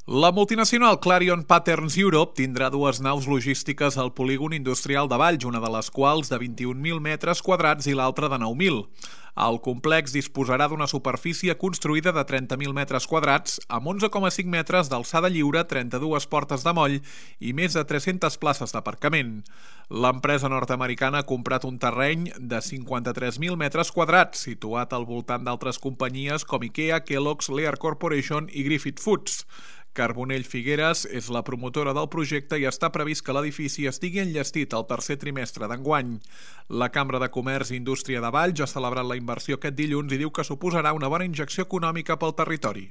La multinacional Clarion Patterns Europe tindrà dues naus logístiques al polígon industrial de Valls, una de les quals de 21.000 metres quadrats i l'altra de 9.000. El complex disposarà d'una superfície construïda de 30.000 metres quadrats, amb 11,5 metres d'alçada lliure, 32 portes de moll i més de 300 places d'aparcament. L'empresa nord-americana ha comprat un terreny de 53.000 metres quadrats, situat al voltant d'altres companyies com IKEA, Kellogg's, Lear Corporation i Griffith Foods. Carbonell Figueres és la promotora del projecte i està previst que l'edifici estigui enllestit el tercer trimestre d'enguany. La Cambra de Comerç i Indústria de Valls ha celebrat la inversió aquest dilluns i diu que suposarà una bona injecció econòmica pel territori.